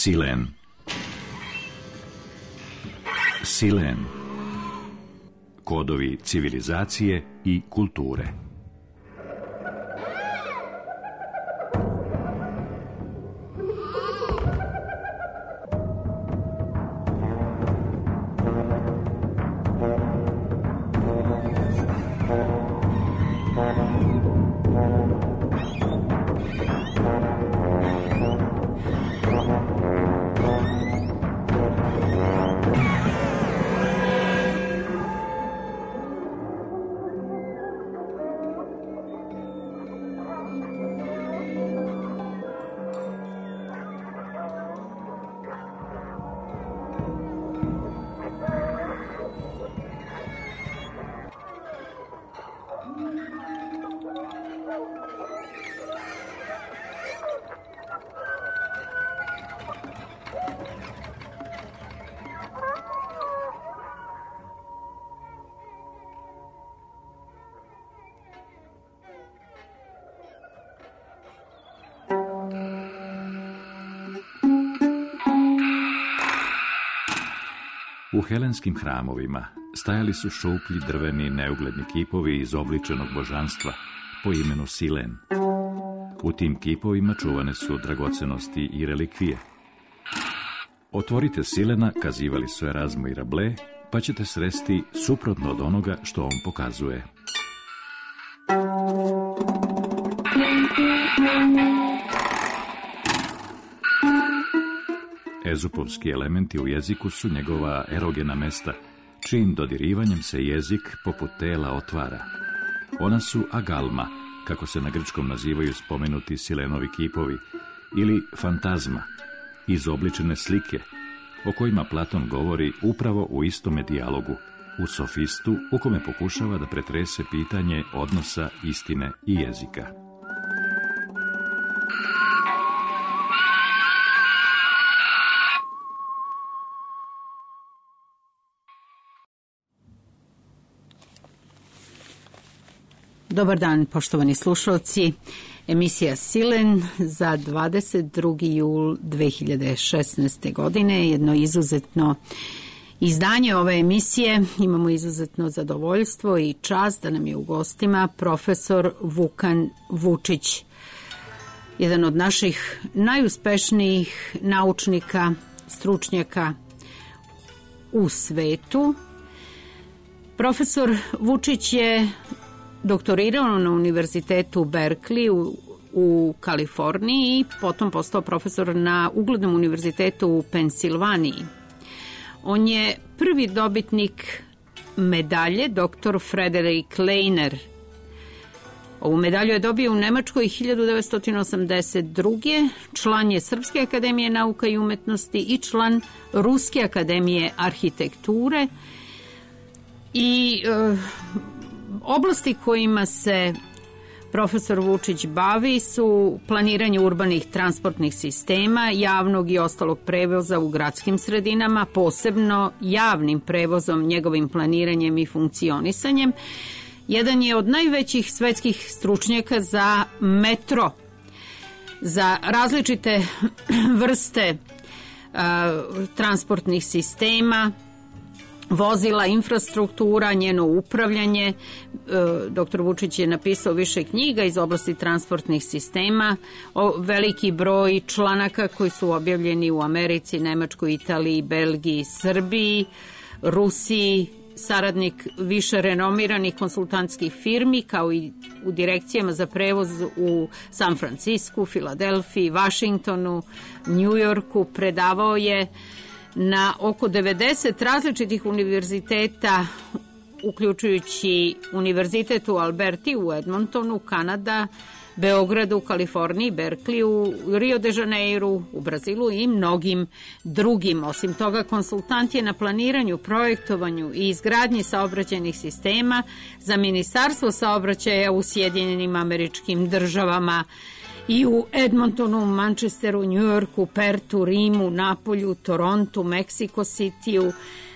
Silen. Silen. Kodovi civilizacije i kulture. U helenskim hramovima stajali su šuplji drveni neugledni kipovi izobličenog božanstva po imenu Silen. U tim kipovima čuvane su dragocenosti i relikvije. Otvorite Silena, kazivali su Erazmo i Rabelais, pa ćete sresti suprotno od onoga što on pokazuje. Ezupovski elementi u jeziku su njegova erogena mesta, čijim dodirivanjem se jezik poput tela otvara. Ona su agalma, kako se na grčkom nazivaju spomenuti Silenovi kipovi, ili fantazma, izobličene slike, o kojima Platon govori upravo u istome dijalogu, u Sofistu, u kome pokušava da pretrese pitanje odnosa istine i jezika. Dobar dan, poštovani slušalci. Emisija Silen za 22. jul 2016. godine. Jedno izuzetno izdanje ove emisije. Imamo izuzetno zadovoljstvo i čast da nam je u gostima profesor Vukan Vučić, jedan od naših najuspešnijih naučnika, stručnjaka u svetu. Profesor Vučić je doktorirao na univerzitetu Berkeley u Kaliforniji i potom postao profesor na uglednom univerzitetu u Pensilvaniji. On je prvi dobitnik medalje dr. Frederick Lehner. Ovu medalju je dobio u Nemačkoj 1982. Član je Srpske akademije nauka i umetnosti i član Ruske akademije arhitekture i oblasti kojima se profesor Vučić bavi su planiranje urbanih transportnih sistema, javnog i ostalog prevoza u gradskim sredinama, posebno javnim prevozom, njegovim planiranjem i funkcionisanjem. Jedan je od najvećih svetskih stručnjaka za metro, za različite vrste transportnih sistema, vozila, infrastruktura, njeno upravljanje. Dr. Vučić je napisao više knjiga iz oblasti transportnih sistema, veliki broj članaka koji su objavljeni u Americi, Nemačkoj, Italiji, Belgiji, Srbiji, Rusiji, saradnik više renomiranih konsultantskih firmi, kao i u direkcijama za prevoz u San Francisku, Filadelfiji, Vašingtonu, Njujorku. Predavao je na oko 90 različitih univerziteta, uključujući univerzitet u Alberti, u Edmontonu, Kanada, Beogradu, Kaliforniji, Berkeliju, Rio de Janeiru, u Brazilu i mnogim drugim. Osim toga, konsultant je na planiranju, projektovanju i izgradnji saobraćajnih sistema za Ministarstvo saobraćaja u Sjedinjenim Američkim Državama i u Edmontonu, Manchesteru, Njujorku, Pertu, Rimu, Napolju, Torontu, Meksiko Citiju,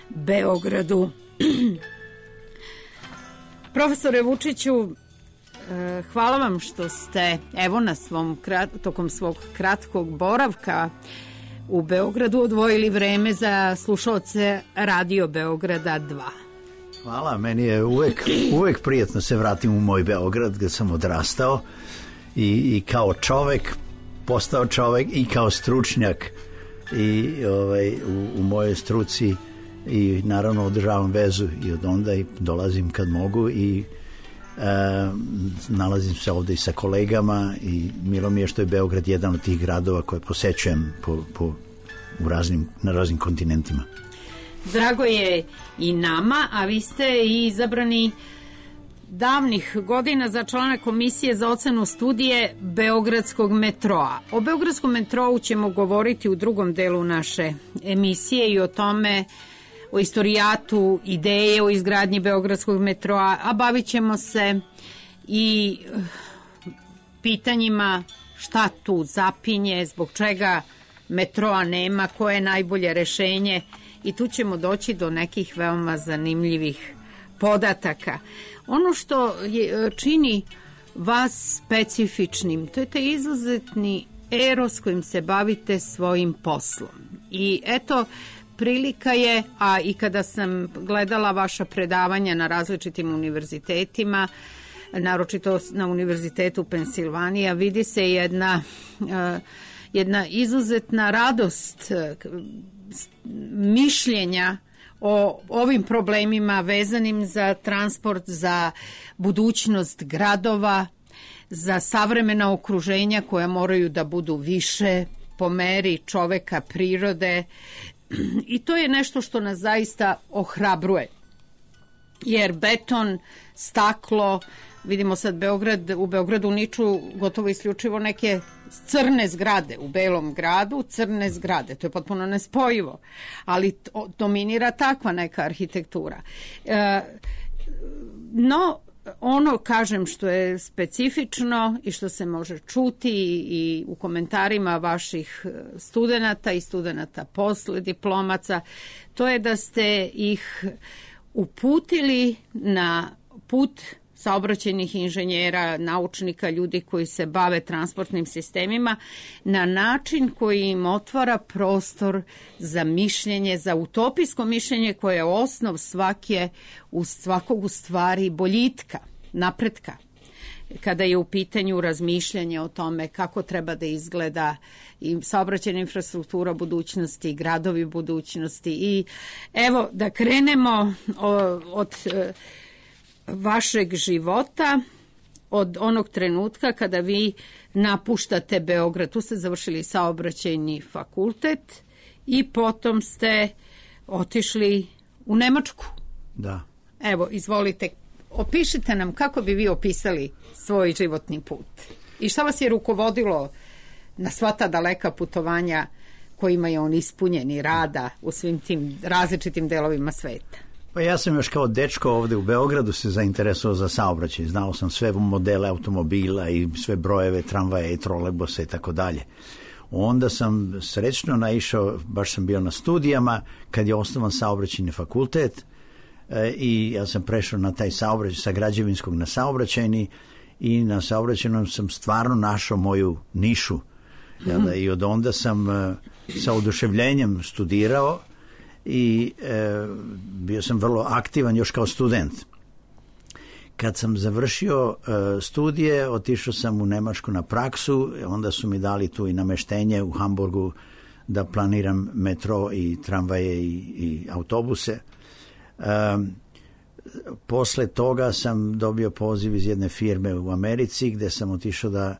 Beogradu. Profesore Vučiću, hvala vam što ste, evo, tokom svog kratkog boravka u Beogradu odvojili vreme za slušaoce Radio Beograda 2. Hvala, meni je uvek prijatno se vratim u moj Beograd gdje sam odrastao i kao čovek postao čovek i kao stručnjak i u mojoj struci i naravno održavam vezu i od onda i dolazim kad mogu i nalazim se ovdje i sa kolegama i milo mi je što je Beograd jedan od tih gradova koje posećujem na raznim kontinentima. Drago je i nama, a vi ste i izabrani davnih godina za člana Komisije za ocenu studije Beogradskog metroa. O Beogradskom metrou ćemo govoriti u drugom delu naše emisije i o tome, o istorijatu, ideje o izgradnji Beogradskog metroa, a bavit ćemo se i pitanjima šta tu zapinje, zbog čega metroa nema, koje je najbolje rešenje i tu ćemo doći do nekih veoma zanimljivih podataka. Ono što čini vas specifičnim, to je taj izuzetni eros kojim se bavite svojim poslom. I eto, prilika je, a i kada sam gledala vaša predavanja na različitim univerzitetima, naročito na Univerzitetu Pensilvanija, vidi se jedna izuzetna radost mišljenja o ovim problemima vezanim za transport, za budućnost gradova, za savremena okruženja koja moraju da budu više po meri čoveka, prirode. I to je nešto što nas zaista ohrabruje. Jer beton, staklo, vidimo sad u Beogradu niču gotovo isključivo neke crne zgrade, u Belom gradu crne zgrade, to je potpuno nespojivo, ali dominira takva neka arhitektura. No, ono, kažem, što je specifično i što se može čuti i u komentarima vaših studenata i studenata posle diplomaca, to je da ste ih uputili na put saobraćajnih inženjera, naučnika, ljudi koji se bave transportnim sistemima na način koji im otvara prostor za mišljenje, za utopijsko mišljenje koje je osnov svakog u stvari boljitka, napretka. Kada je u pitanju razmišljanje o tome kako treba da izgleda i saobraćajna infrastruktura budućnosti, gradovi budućnosti. I evo da krenemo od vašeg života, od onog trenutka kada vi napuštate Beograd. Tu ste završili saobraćajni fakultet i potom ste otišli u Nemačku. Da. Evo, izvolite, opišite nam kako bi vi opisali svoj životni put i šta vas je rukovodilo na sva ta daleka putovanja kojima je on ispunjen i rada u svim tim različitim delovima sveta. Pa ja sam još kao dečko ovdje u Beogradu se zainteresovao za saobraćaj. Znao sam sve modele automobila i sve brojeve tramvaja i trolejbusa i tako dalje. Onda sam srećno naišao, baš sam bio na studijama kad je osnovan saobraćajni fakultet i ja sam prešao na taj saobraćaj sa građevinskog na saobraćajni i na saobraćajnom sam stvarno našao moju nišu. I od onda sam sa oduševljenjem studirao i bio sam vrlo aktivan još kao student. Kad sam završio studije, otišao sam u Nemačku na praksu, onda su mi dali tu i nameštenje u Hamburgu da planiram metro i tramvaje i autobuse. Posle toga sam dobio poziv iz jedne firme u Americi gdje sam otišao da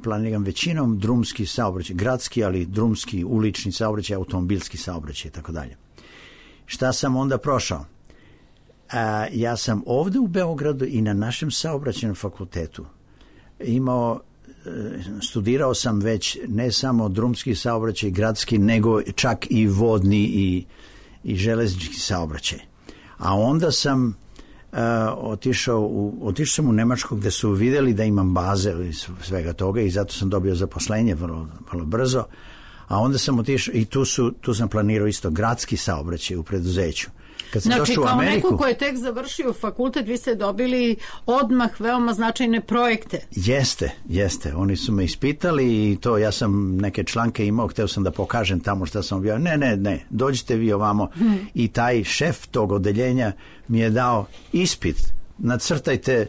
planiram većinom drumski saobraćaj, gradski, ali drumski, ulični saobraćaj, automobilski saobraćaj i tako dalje. Šta sam onda prošao? Ja sam ovdje u Beogradu i na našem saobraćajnom fakultetu studirao sam već ne samo drumski saobraćaj, gradski, nego čak i vodni i železnički saobraćaj. A onda sam otišao sam u Nemačku gdje su vidjeli da imam baze i svega toga i zato sam dobio zaposlenje vrlo, vrlo brzo. A onda sam otišao i tu sam planirao isto gradski saobraćaj u preduzeću. Znači, kao neko ko je tek završio fakultet, vi ste dobili odmah veoma značajne projekte. Jeste. Oni su me ispitali i to, ja sam neke članke imao, hteo sam da pokažem tamo šta sam objavio. Ne, dođite vi ovamo. I taj šef tog odeljenja mi je dao ispit. Nacrtajte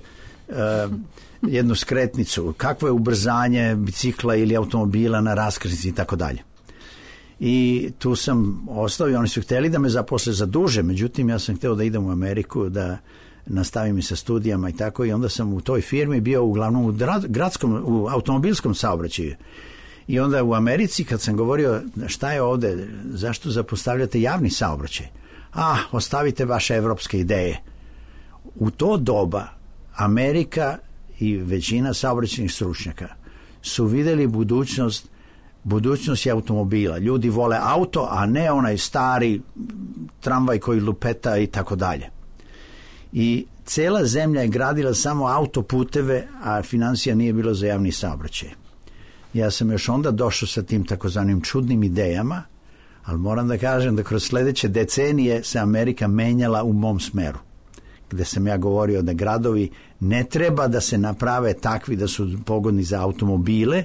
jednu skretnicu. Kakvo je ubrzanje bicikla ili automobila na raskrsnici i tako dalje. I tu sam ostao i oni su htjeli da me zaposle za duže, međutim ja sam htio da idem u Ameriku, da nastavim i sa studijama i tako, i onda sam u toj firmi bio uglavnom u automobilskom saobraćaju. I onda u Americi kad sam govorio šta je ovde, zašto zapostavljate javni saobraćaj? Ostavite vaše evropske ideje. U to doba Amerika i većina saobraćajnih stručnjaka su vidjeli budućnost je automobila. Ljudi vole auto, a ne onaj stari tramvaj koji lupeta i tako dalje. I cela zemlja je gradila samo autoputeve, a financija nije bilo za javni saobraćaj. Ja sam još onda došao sa tim takozvanim čudnim idejama, ali moram da kažem da kroz sljedeće decenije se Amerika menjala u mom smeru, gde sam ja govorio da gradovi ne treba da se naprave takvi da su pogodni za automobile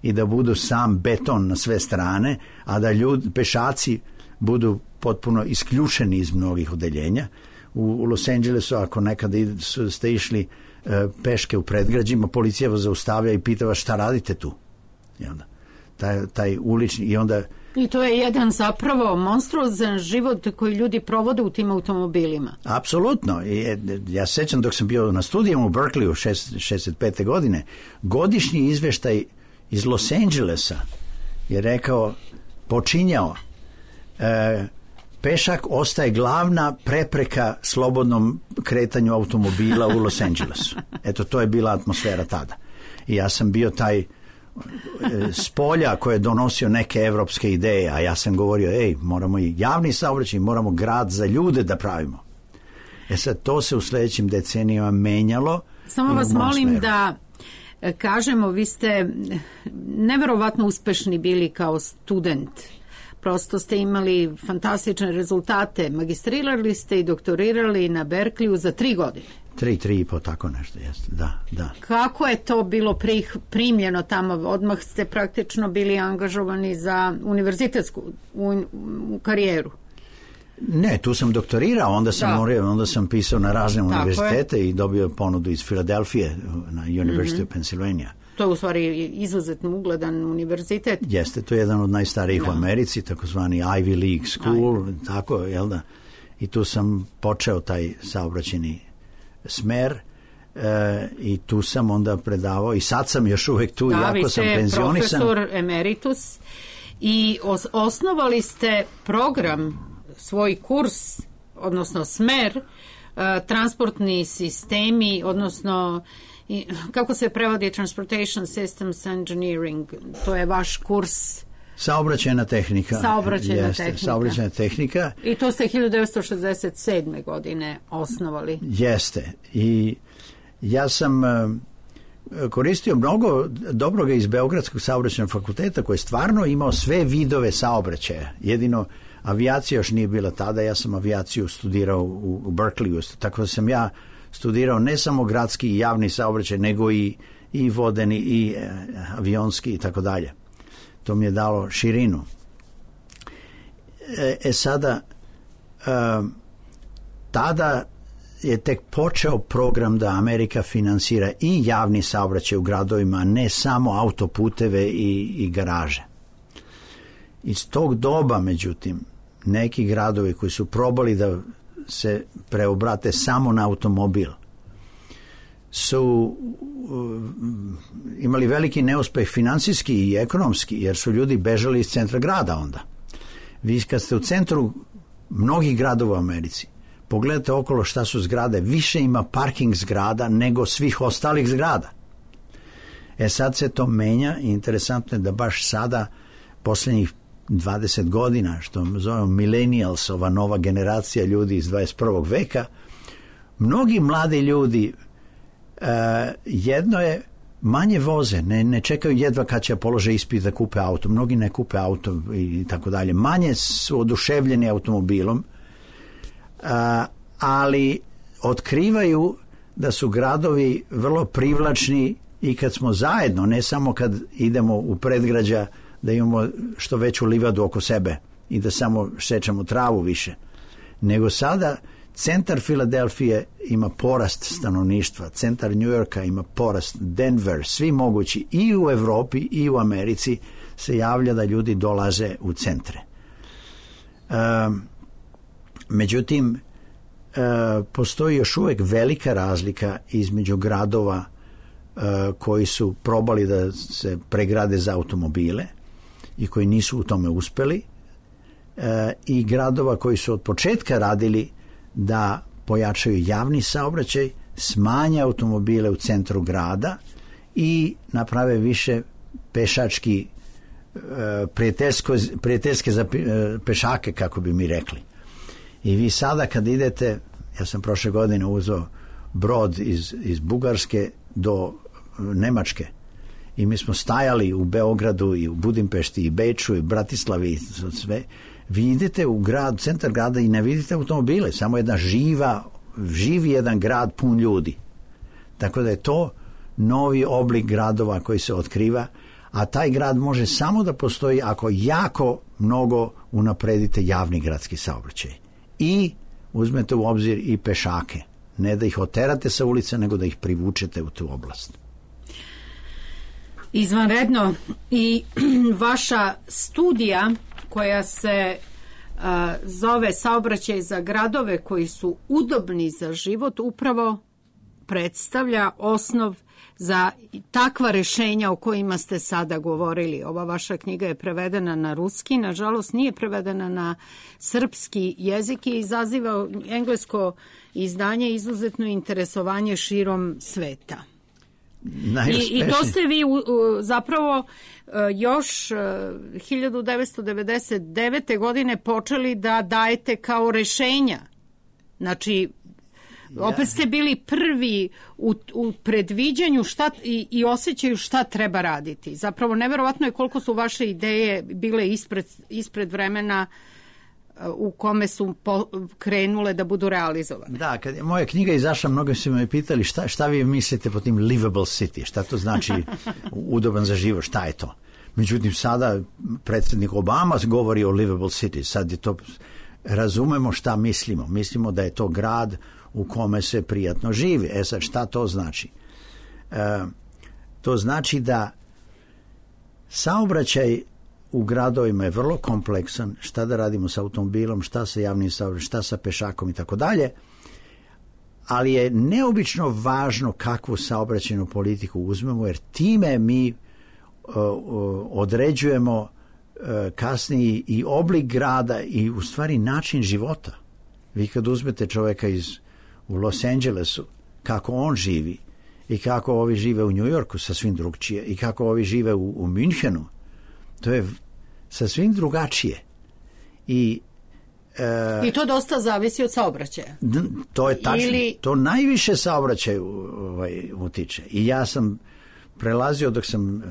i da budu sam beton na sve strane, a da pešaci budu potpuno isključeni iz mnogih odeljenja. U Los Angelesu, ako nekada ste išli peške u predgrađima, policija vas zaustavlja i pita vas šta radite tu. I onda taj ulični I to je jedan zapravo monstruozan život koji ljudi provode u tim automobilima. Apsolutno. Ja sećam dok sam bio na studijama u Berkeleyu 65. godine, godišnji izveštaj iz Los Angelesa je rekao, počinjao, pešak ostaje glavna prepreka slobodnom kretanju automobila u Los Angelesu. Eto, to je bila atmosfera tada. I ja sam bio taj spolja koji je donosio neke evropske ideje, a ja sam govorio, moramo i javni saobraćaj, moramo grad za ljude da pravimo. Sad, to se u sljedećim decenijama menjalo. Samo vas molim smeru da kažemo, vi ste neverovatno uspešni bili kao student. Prosto ste imali fantastične rezultate. Magistrirali ste i doktorirali na Berkeleyu za 3 godine. 3,5, tako nešto, jeste, da. Kako je to bilo primljeno tamo? Odmah ste praktično bili angažovani za univerzitetsku karijeru. Ne, tu sam doktorirao, onda sam pisao na razne univerzitete i dobio ponudu iz Filadelfije na University of Pennsylvania. To je u stvari izuzetno ugledan univerzitet. Jeste, to je jedan od najstarijih u Americi, takozvani Ivy League School, tako, jel da? I tu sam počeo taj saobraćajni smer i tu sam onda predavao i sad sam još uvek tu, jako sam penzionisan. Vi ste profesor emeritus i osnovali ste program, svoj kurs, odnosno smer, transportni sistemi, odnosno kako se prevodi Transportation Systems Engineering, to je vaš kurs. Saobraćajna tehnika. Saobraćajna tehnika. I to ste 1967. godine osnovali. Jeste. I ja sam koristio mnogo dobroga iz Beogradskog saobraćajnog fakulteta koji je stvarno imao sve vidove saobraćaja. Jedino avijacija još nije bila tada, ja sam avijaciju studirao u Berkeleyu, tako da sam ja studirao ne samo gradski i javni saobraćaj, nego i vodeni i avionski i tako dalje. To mi je dalo širinu. Sada, tada je tek počeo program da Amerika finansira i javni saobraćaj u gradovima, ne samo autoputeve i garaže. Iz tog doba, međutim, neki gradovi koji su probali da se preobrate samo na automobil su imali veliki neuspeh financijski i ekonomski, jer su ljudi bežali iz centra grada onda. Vi kad ste u centru mnogih gradova u Americi, pogledajte okolo šta su zgrade, više ima parking zgrada nego svih ostalih zgrada. Sad se to menja i interesantno je da baš sada, posljednjih 20 godina, što zovemo millennials, ova nova generacija ljudi iz 21. veka, mnogi mladi ljudi, jedno je manje voze, ne čekaju jedva kad će polože ispit da kupe auto. Mnogi ne kupe auto i tako dalje. Manje su oduševljeni automobilom, ali otkrivaju da su gradovi vrlo privlačni i kad smo zajedno, ne samo kad idemo u predgrađa da imamo što veću livadu oko sebe i da samo šećemo travu više, nego sada centar Filadelfije ima porast stanovništva, centar New Yorka ima porast, Denver, svi mogući i u Evropi i u Americi se javlja da ljudi dolaze u centre. Međutim, postoji još uvijek velika razlika između gradova koji su probali da se pregrade za automobile i koji nisu u tome uspeli i gradova koji su od početka radili da pojačaju javni saobraćaj, smanje automobile u centru grada i naprave više pešački prijateljske za pešake, kako bi mi rekli. I vi sada kad idete, ja sam prošle godine uzeo brod iz Bugarske do Nemačke i mi smo stajali u Beogradu i u Budimpešti i Beču i Bratislavi i sve. Vi idete u grad, centar grada i ne vidite automobile, samo jedna živi jedan grad pun ljudi. Tako da je to novi oblik gradova koji se otkriva, a taj grad može samo da postoji ako jako mnogo unapredite javni gradski saobraćaj. I uzmete u obzir i pešake. Ne da ih oterate sa ulice, nego da ih privučete u tu oblast. Izvanredno. I vaša studija koja se zove Saobraćaj za gradove koji su udobni za život upravo predstavlja osnov za takva rešenja o kojima ste sada govorili. Ova vaša knjiga je prevedena na ruski, nažalost nije prevedena na srpski jezik i izaziva englesko izdanje izuzetno interesovanje širom sveta. I to ste vi zapravo još 1999. godine počeli da dajete kao rešenja. Znači, opet ste bili prvi u predviđanju i osjećaju šta treba raditi. Zapravo, neverovatno je koliko su vaše ideje bile ispred vremena u kome su krenule da budu realizovane. Da, kad je moja knjiga izašla, mnogo su me pitali šta vi mislite po tim livable city, šta to znači udoban za život, šta je to? Međutim, sada predsjednik Obama govori o livable city, sad je to, razumemo šta mislimo. Mislimo da je to grad u kome se prijatno živi. Sad, šta to znači? To znači da saobraćaj u gradovima je vrlo kompleksan, šta da radimo sa automobilom, šta sa javnim saobraćajem, šta sa pešakom i tako dalje, ali je neobično važno kakvu saobraćajnu politiku uzmemo, jer time mi određujemo kasnije i oblik grada i u stvari način života. Vi kad uzmete čovjeka u Los Angelesu, kako on živi i kako ovi žive u New Yorku, sasvim drugčije, i kako ovi žive u Münchenu, to je sasvim drugačije. I to dosta zavisi od saobraćaja. To je tačno. To najviše saobraćaju utiče. I ja sam prelazio dok sam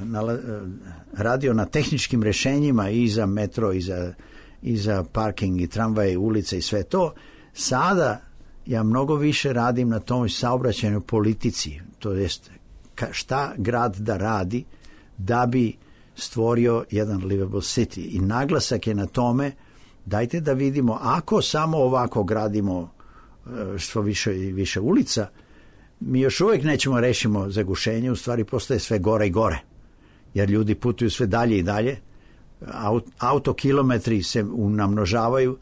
radio na tehničkim rješenjima i za metro i za parking i tramvaje, ulice i sve to. Sada ja mnogo više radim na toj saobraćajnoj politici. To jest šta grad da radi da bi stvorio jedan livable city. I naglasak je na tome, dajte da vidimo, ako samo ovako gradimo što više ulica, mi još uvijek nećemo rešimo zagušenje, u stvari postaje sve gore i gore. Jer ljudi putuju sve dalje i dalje, autokilometri se namnožavaju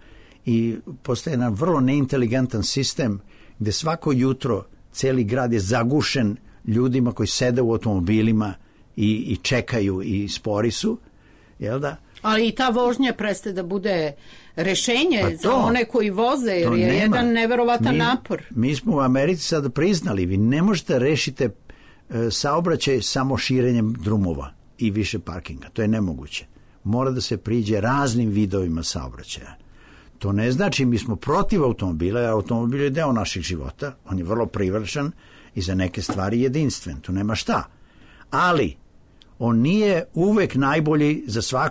i postaje jedan vrlo neinteligentan sistem gdje svako jutro cijeli grad je zagušen ljudima koji sede u automobilima i čekaju i spori su, jel da? Ali i ta vožnja prestaje da bude rešenje za one koji voze, jer je jedan neverovatan napor. Mi smo u Americi sad priznali, vi ne možete rešiti saobraćaj samo širenjem drumova i više parkinga. To je nemoguće. Mora da se priđe raznim vidovima saobraćaja. To ne znači mi smo protiv automobila, jer automobil je deo naših života, on je vrlo privlačan i za neke stvari jedinstven, tu nema šta. ali on nije uvek najbolji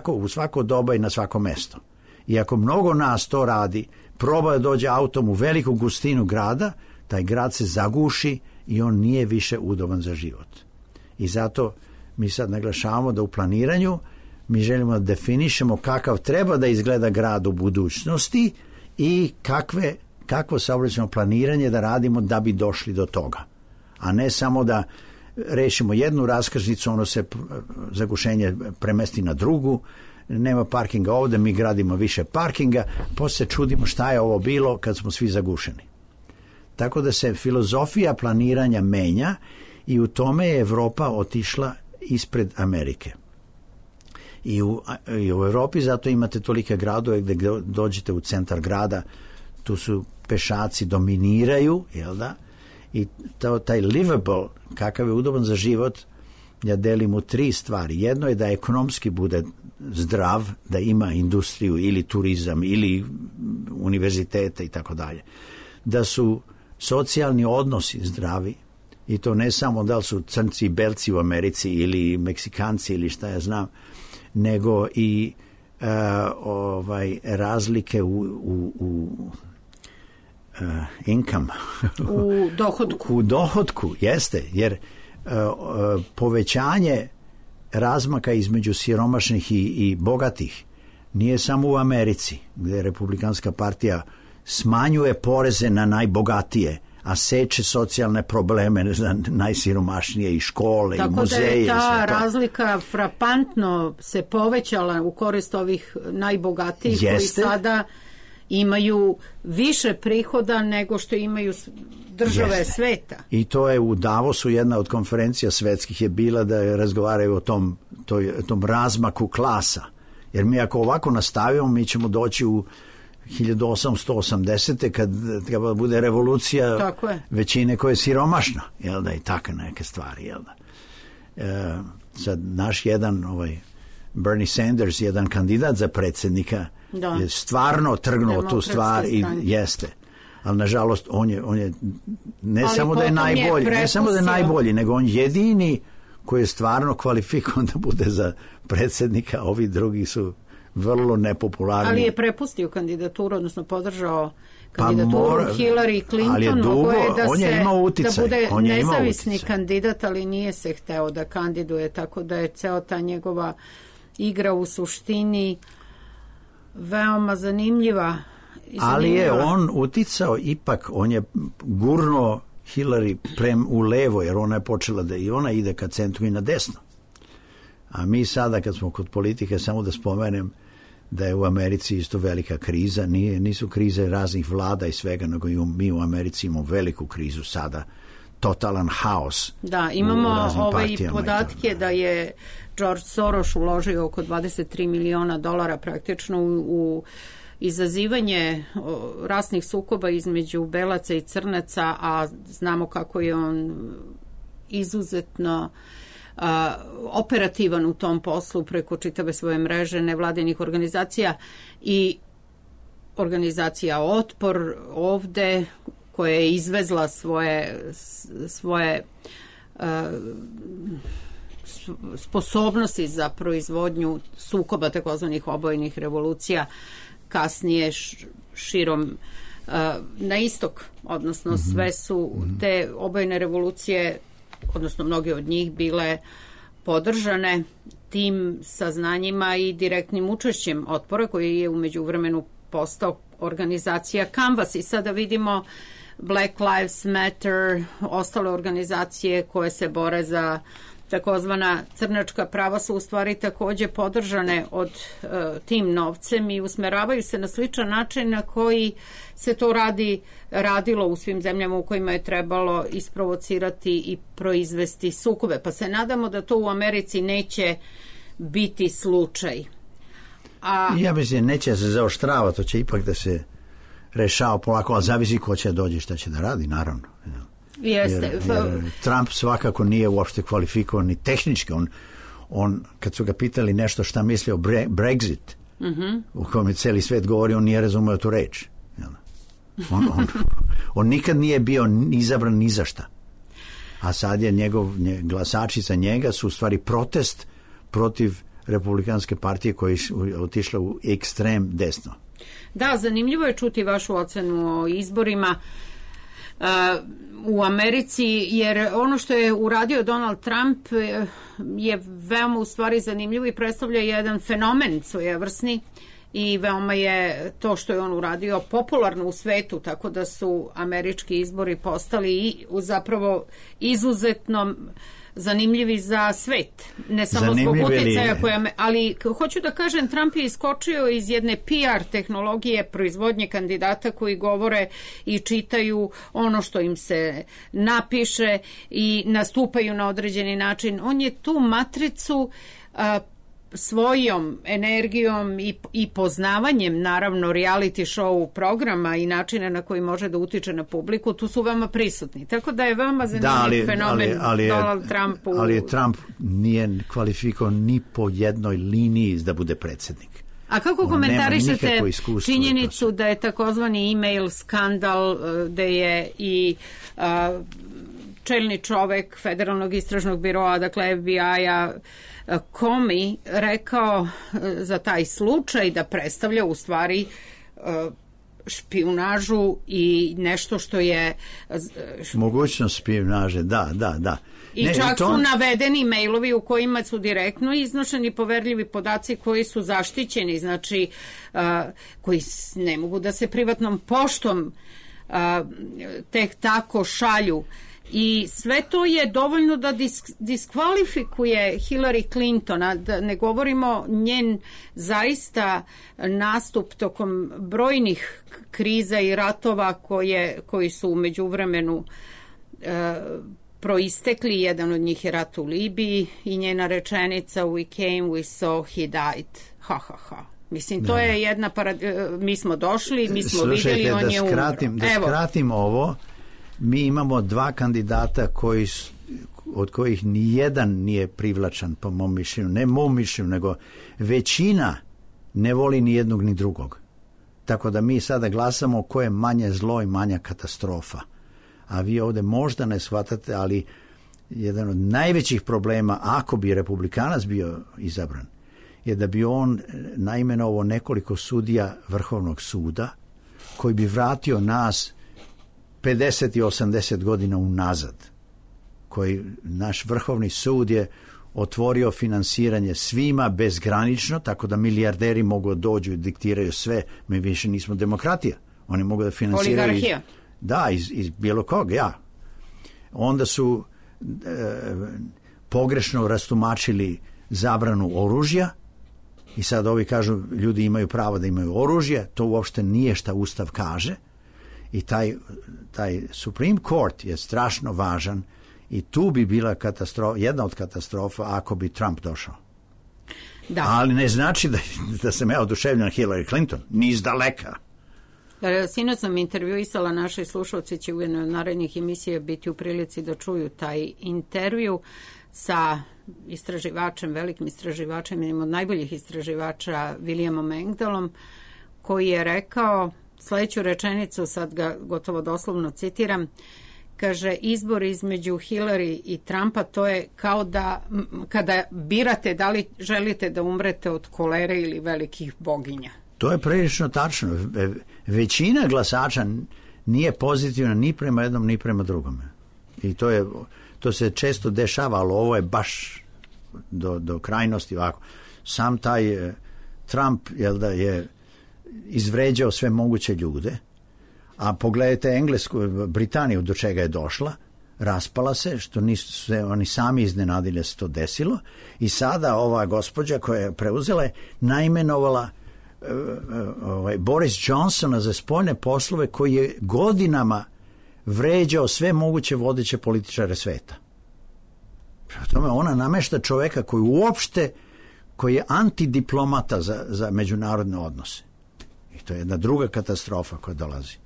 u svako doba i na svako mesto. I ako mnogo nas to radi, proba da dođe autom u veliku gustinu grada, taj grad se zaguši i on nije više udoban za život. I zato mi sad naglašavamo da u planiranju mi želimo da definišemo kakav treba da izgleda grad u budućnosti i kakvo saobraćajno planiranje da radimo da bi došli do toga. A ne samo da rešimo jednu raskrsnicu, ono se zagušenje premesti na drugu, nema parkinga ovde, mi gradimo više parkinga, posle čudimo šta je ovo bilo kad smo svi zagušeni. Tako da se filozofija planiranja menja i u tome je Evropa otišla ispred Amerike. I u Evropi zato imate tolike gradove gde dođete u centar grada, tu su pešaci dominiraju, jel da? I taj livable, kakav je udoban za život, ja delim u 3 stvari. Jedno je da ekonomski bude zdrav, da ima industriju ili turizam ili univerzitete i tako dalje. Da su socijalni odnosi zdravi i to ne samo da li su crnci i belci u Americi ili Meksikanci ili šta ja znam, nego i razlike u income. U dohodku. U dohodku, jeste, jer povećanje razmaka između siromašnih i bogatih nije samo u Americi, gde Republikanska partija smanjuje poreze na najbogatije, a seče socijalne probleme za najsiromašnije i škole i muzeje. Tako da je ta razlika frapantno se povećala u korist ovih najbogatijih koji sada imaju više prihoda nego što imaju države sveta. I to je u Davosu jedna od konferencija svetskih je bila da razgovaraju o tom razmaku klasa. Jer mi ako ovako nastavimo, mi ćemo doći u 1880. kad bude revolucija većine koja je siromašna, jel da, i takve neke stvari, jel da. Sad naš jedan Bernie Sanders, jedan kandidat za predsjednika, je stvarno trgnuo tu stvar i jeste. Ali nažalost on je ne samo da je najbolji, nego on jedini koji je stvarno kvalifikovan da bude za predsjednika, ovi drugi su vrlo nepopularni. Ali je prepustio kandidaturu, odnosno podržao kandidaturu Hillary Clinton, da bude nezavisni kandidat, ali nije se hteo da kandiduje, tako da je ceo ta njegova igra u suštini veoma zanimljiva. Ali je on uticao ipak, on je gurno Hillary u levo, jer ona je počela da i ona ide ka centru i na desno. A mi sada kad smo kod politike, samo da spomenem da je u Americi isto velika kriza, nisu krize raznih vlada i svega, nego mi u Americi imamo veliku krizu sada, totalan haos. Da, imamo podatke da je George Soros uložio oko $23 miliona praktično u izazivanje rasnih sukoba između belaca i crnaca, a znamo kako je on izuzetno operativan u tom poslu preko čitave svoje mreže nevladinih organizacija i organizacija Otpor ovde koja je izvezla svoje sposobnosti za proizvodnju sukoba takozvanih obojnih revolucija kasnije širom na istok, odnosno sve su te obojene revolucije, odnosno mnoge od njih bile podržane tim saznanjima i direktnim učešćem Otpora koji je u međuvremenu postao organizacija Canvas i sada vidimo Black Lives Matter, ostale organizacije koje se bore za takozvana crnačka prava su u stvari takođe podržane od tim novcem i usmeravaju se na sličan način na koji se to radilo u svim zemljama u kojima je trebalo isprovocirati i proizvesti sukobe. Pa se nadamo da to u Americi neće biti slučaj. Ja mislim, neće se zaoštrava, to će ipak da se rešava polako, ali zavisi ko će dođi, šta će da radi, naravno. Jer Trump svakako nije uopšte kvalifikovan ni tehnički. On kad su ga pitali nešto šta misli o Brexit, u kojem je celi svet govori, on nije razumeo tu reč. On nikad nije bio izabran ni za šta. A sad je glasači za njega su u stvari protest protiv Republikanske partije koja je otišla u ekstrem desno. Da, zanimljivo je čuti vašu ocenu o izborima u Americi, jer ono što je uradio Donald Trump je veoma u stvari zanimljivo i predstavlja jedan fenomen svojevrsni i veoma je to što je on uradio popularno u svetu, tako da su američki izbori postali i zapravo izuzetno zanimljivi za svet, ne samo zbog utjecaja ali hoću da kažem, Trump je iskočio iz jedne PR tehnologije proizvodnje kandidata koji govore i čitaju ono što im se napiše i nastupaju na određeni način. On je tu matricu svojom energijom i poznavanjem naravno reality show programa i načina na koji može da utiče na publiku, tu su veoma prisutni. Tako da je veoma zanimljiv fenomen Donald Trump. Ali Trump nije kvalifikovao ni po jednoj liniji da bude predsjednik. A kako komentarišete činjenicu da je takozvani e-mail skandal, da je i čelni čovek Federalnog istražnog biroa, dakle FBI-a, Comey rekao za taj slučaj da predstavlja u stvari špijunažu i nešto što je mogućnost špijunaže, da. I čak su navedeni mailovi u kojima su direktno iznošeni poverljivi podaci koji su zaštićeni, znači koji ne mogu da se privatnom poštom tek tako šalju. I sve to je dovoljno da diskvalifikuje Hillary Clintona, da ne govorimo njen zaista nastup tokom brojnih kriza i ratova koji su u međuvremenu proistekli. Jedan od njih je rat u Libiji i njena rečenica "We came, we saw, he died." Ha, ha, ha. Mislim, to je jedna mi smo došli, mi smo vidjeli, on je umro. Da skratim ovo, mi imamo dva kandidata od kojih nijedan nije privlačan po mom mišljenju. Ne mom mišljenju, nego većina ne voli ni jednog ni drugog. Tako da mi sada glasamo ko je manje zlo i manja katastrofa. A vi ovdje možda ne shvatate, ali jedan od najvećih problema, ako bi Republikanac bio izabran, je da bi on naimenovao nekoliko sudija Vrhovnog suda koji bi vratio nas 50 i 80 godina unazad, koji naš Vrhovni sud je otvorio finansiranje svima bezgranično, tako da milijarderi mogu dođu i diktiraju sve. Mi više nismo demokratija. Oni mogu da finansiraju iz bilo kog, Onda su pogrešno rastumačili zabranu oružja i sad ovi kažu ljudi imaju pravo da imaju oružje. To uopšte nije šta Ustav kaže. I taj Supreme Court je strašno važan i tu bi bila jedna od katastrofa ako bi Trump došao. Da. Ali ne znači da sam ja oduševljen na Hillary Clinton, ni iz daleka. Sinoć sam intervjuisala, naši slušalci će u jednoj od narednih emisija biti u prilici da čuju taj intervju sa istraživačem, velikim istraživačem, jednim od najboljih istraživača, Williamom Engdahlom, koji je rekao sljedeću rečenicu, sad ga gotovo doslovno citiram, kaže: izbor između Hillary i Trumpa, to je kao da kada birate da li želite da umrete od kolere ili velikih boginja. To je prilično tačno. Većina glasača nije pozitivna ni prema jednom ni prema drugome. I to se često dešava, ali ovo je baš do krajnosti ovako. Sam taj Trump je izvređao sve moguće ljude, a pogledajte Englesku, Britaniju do čega je došla, raspala se, što nisu se oni sami iznenadili da se to desilo, i sada ova gospođa koja je preuzela je naimenovala Boris Johnsona za spoljne poslove, koji je godinama vređao sve moguće vodeće političare sveta. Prema tome ona namešta čoveka koji je antidiplomata za međunarodne odnose. I to je jedna druga katastrofa koja dolazi.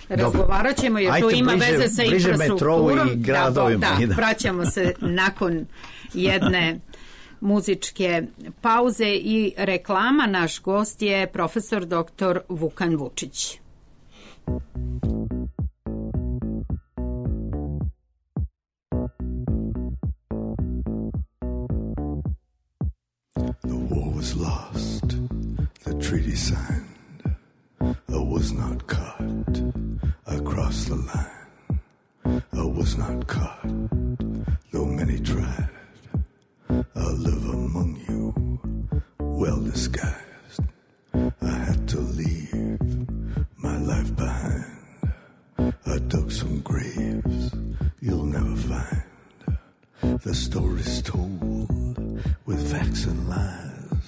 Razgovarat ćemo jer to ima veze sa infrastrukturom. I gradovima. Da, vraćamo se nakon jedne muzičke pauze i reklama. Naš gost je profesor dr. Vukan Vučić. cross the line. I was not caught, though many tried. I live among you, well disguised. I had to leave my life behind. I dug some graves you'll never find. The story's told with facts and lies.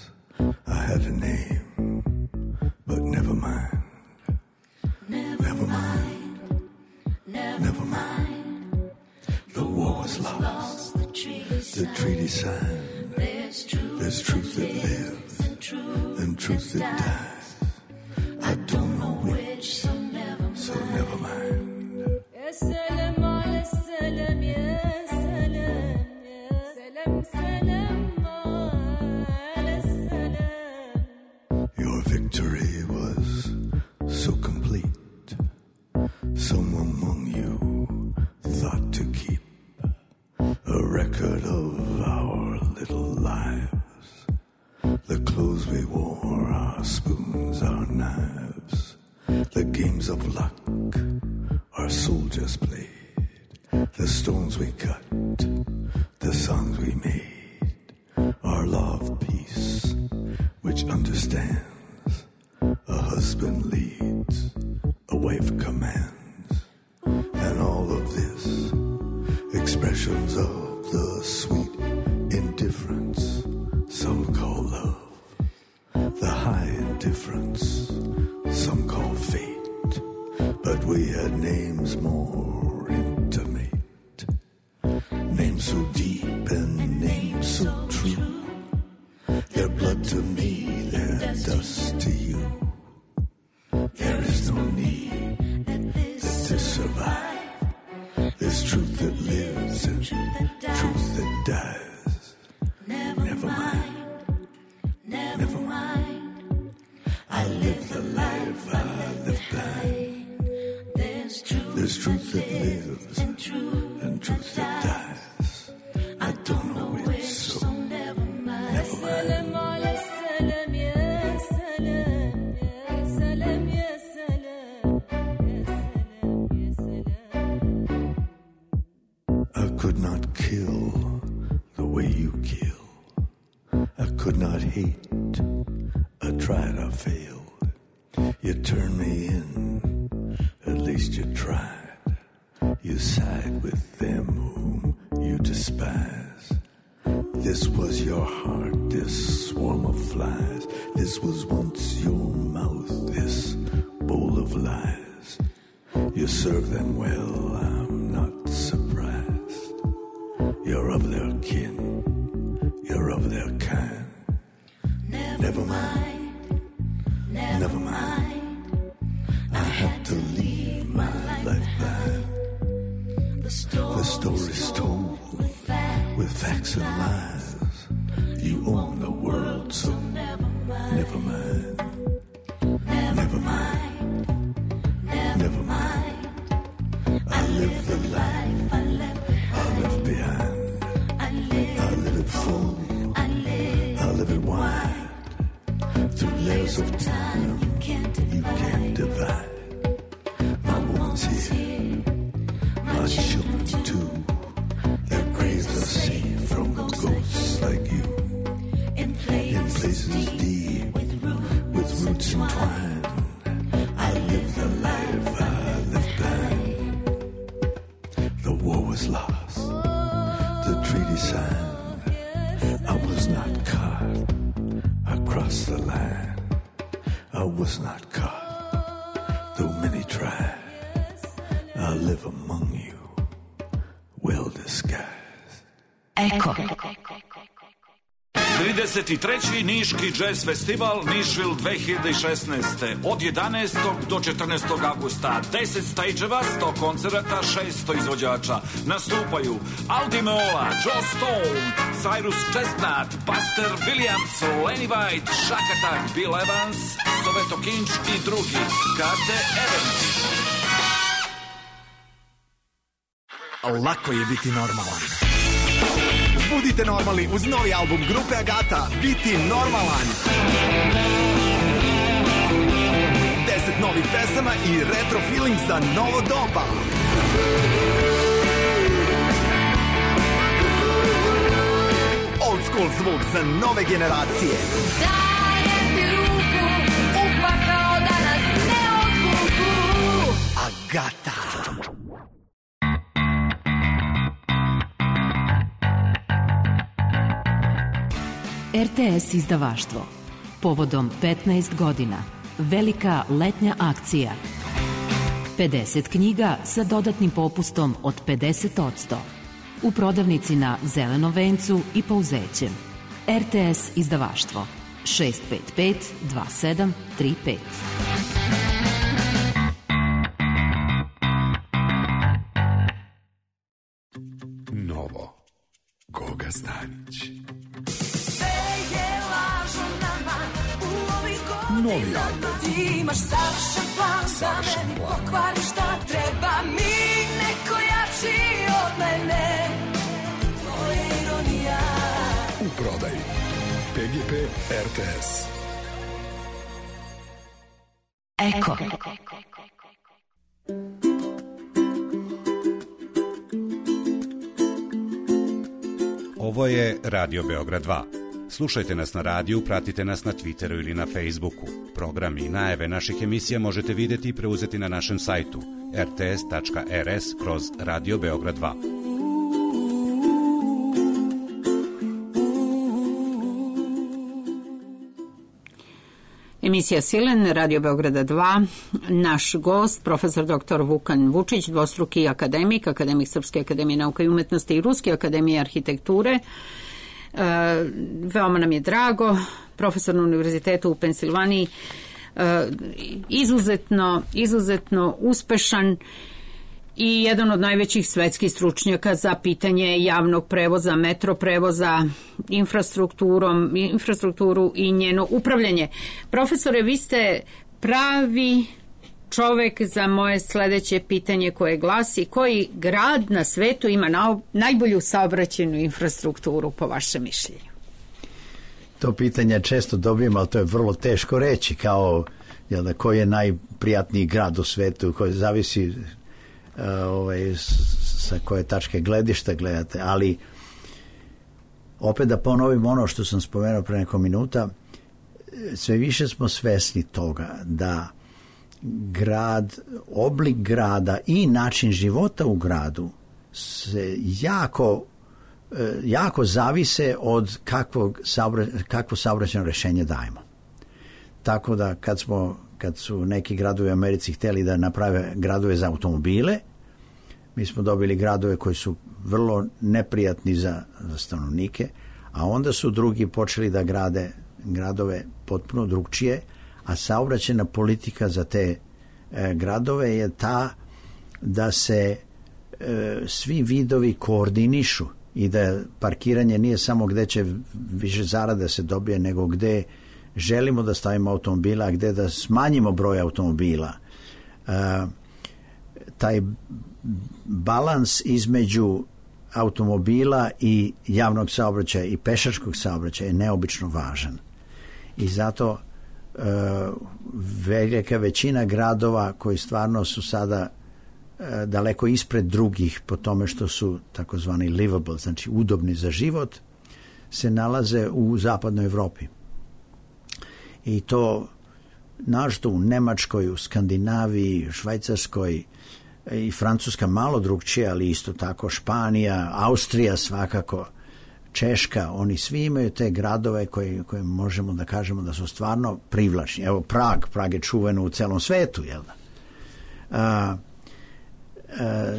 I had a name, but never mind. Never mind. Never mind. The war was lost. The treaty signed. There's truth that lives and truth that dies. I don't know which, so never mind. Your victory was so complete. Some among you thought to keep a record of our little lives. The clothes we wore, our spoons, our knives. The games of luck our soldiers played. The stones we cut, the songs we made. Our law of peace, which understands a husband leads, a wife commands. And all of this, expressions of the sweet indifference some call love, the high indifference some call fate. But we had names more intimate, names so deep and names so true. Their blood to me, their dust to you. There is no need that to survive. There's truth that lives and truth that dies. Never mind. Never mind. I live the life I live blind. There's truth that lives and truth that dies. I don't know which, so never mind. I could not kill the way you kill. I could not hate. I tried, I failed. You turned me in, at least you tried. You side with them whom you despise. This was your heart, this swarm of flies. This was once your mouth, this bowl of lies. You serve them well, I'm not surprised. You're of their kin, you're of their kind. Never mind. Never mind. I had to leave my life behind. The story's told with facts and lies. You own the world, so never mind. Never mind. Never mind. I live the life I left behind. I live it full. I live it wide. Through layers of time you can't divide. My woman's here, my children too. Their graves are safe from ghosts like you. In places deep, with roots entwined. I live the life I live blind. The war was lost, the treaty signed. I was not caught. I crossed the line. I was not caught, though many tried. I live among you, well disguised. Eko. 33. Niški jazz festival Nišville 2016. Od 11. do 14. augusta. 10 stage-eva, 100 koncerata, 600 izvođača. Nastupaju Aldi Meola, Joe Stone, Cyrus Chestnut, Buster Williams, Lenny White, Shack Attack, Bill Evans, Soveto Kinč i drugi. Karte Evans. Lako je biti normalan. Budite normalni uz novi album grupe Agata, Biti normalan. 10 novih pesama i retro feeling za novo doba. Old school zvuk za nove generacije. Dajem ti ruku, upakao da nas ne odvuku. Agata. RTS izdavaštvo. Povodom 15 godina. Velika letnja akcija. 50 knjiga sa dodatnim popustom od 50%. U prodavnici na Zelenom vencu i Pouzećem. RTS izdavaštvo. 655 2735. Novo. Goga Stanić. Novi album. Ti imaš savršen plan da meni pokvari šta treba mi, neko jači od mene. To je ironija. U prodaji. PGP RTS. Eko. Ovo je Radio Beograd 2. Slušajte nas na radiju, pratite nas na Twitteru ili na Facebooku. Programi i najave naših emisija možete vidjeti i preuzeti na našem sajtu rts.rs/Radio Beograd 2. Emisija Silen, Radio Beograda 2. Naš gost, profesor dr. Vukan Vučić, dvostruki akademik, akademik Srpske akademije nauka i umetnosti i Ruske akademije arhitekture. Veoma nam je drago, profesor na univerzitetu u Pensilvaniji, izuzetno uspešan i jedan od najvećih svetskih stručnjaka za pitanje javnog prevoza, metro prevoza, infrastrukturu i njeno upravljanje. Profesore, vi ste pravi čovek za moje sledeće pitanje koje glasi: koji grad na svetu ima najbolju saobraćajnu infrastrukturu po vašem mišljenju? To pitanje često dobijem, ali to je vrlo teško reći, kao koji je najprijatniji grad u svetu, koji zavisi sa koje tačke gledišta gledate, ali opet da ponovim ono što sam spomenuo pre neko minuta, sve više smo svesni toga da grad, oblik grada i način života u gradu se jako zavise od kakvo saobraćajno rešenje dajemo. Tako da kad su neki gradovi u Americi hteli da naprave gradove za automobile, mi smo dobili gradove koji su vrlo neprijatni za stanovnike, a onda su drugi počeli da grade gradove potpuno drugčije, a saobraćajna politika za te gradove je ta da se svi vidovi koordinišu i da parkiranje nije samo gde će više zarade se dobije, nego gde želimo da stavimo automobila, a gde da smanjimo broj automobila. Taj balans između automobila i javnog saobraćaja i pešačkog saobraćaja je neobično važan. I zato velika većina gradova koji stvarno su sada daleko ispred drugih po tome što su takozvani livable, znači udobni za život, se nalaze u zapadnoj Evropi. I to našto u Nemačkoj, u Skandinaviji, Švajcarskoj i Francuska malo drugčije, ali isto tako Španija, Austrija svakako, Češka, oni svi imaju te gradove koje možemo da kažemo da su stvarno privlačni. Evo Prag je čuveno u celom svetu, jel da?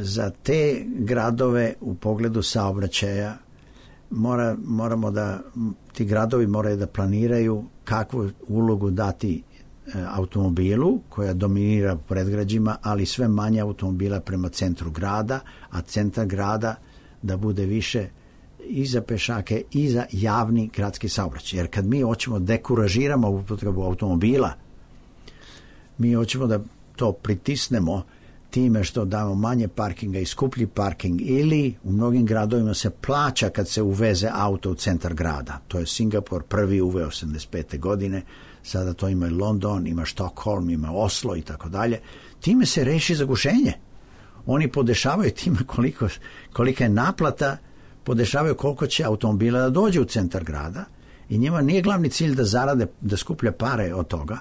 Za te gradove u pogledu saobraćaja moramo da, ti gradovi moraju da planiraju kakvu ulogu dati automobilu koja dominira predgrađima, ali sve manje automobila prema centru grada, a centar grada da bude više i za pešake i za javni gradski saobraćaj. Jer kad mi hoćemo dekuražiramo upotrebu automobila, mi hoćemo da to pritisnemo time što damo manje parkinga i skuplji parking, ili u mnogim gradovima se plaća kad se uveze auto u centar grada. To je Singapur prvi uveo 85. godine. sada to ima i London, ima Stockholm, ima Oslo i tako dalje. Time se reši zagušenje. Oni podešavaju time kolika je naplata, podešavaju koliko će automobila da dođe u centar grada i njima nije glavni cilj da zarade, da skuplja pare od toga,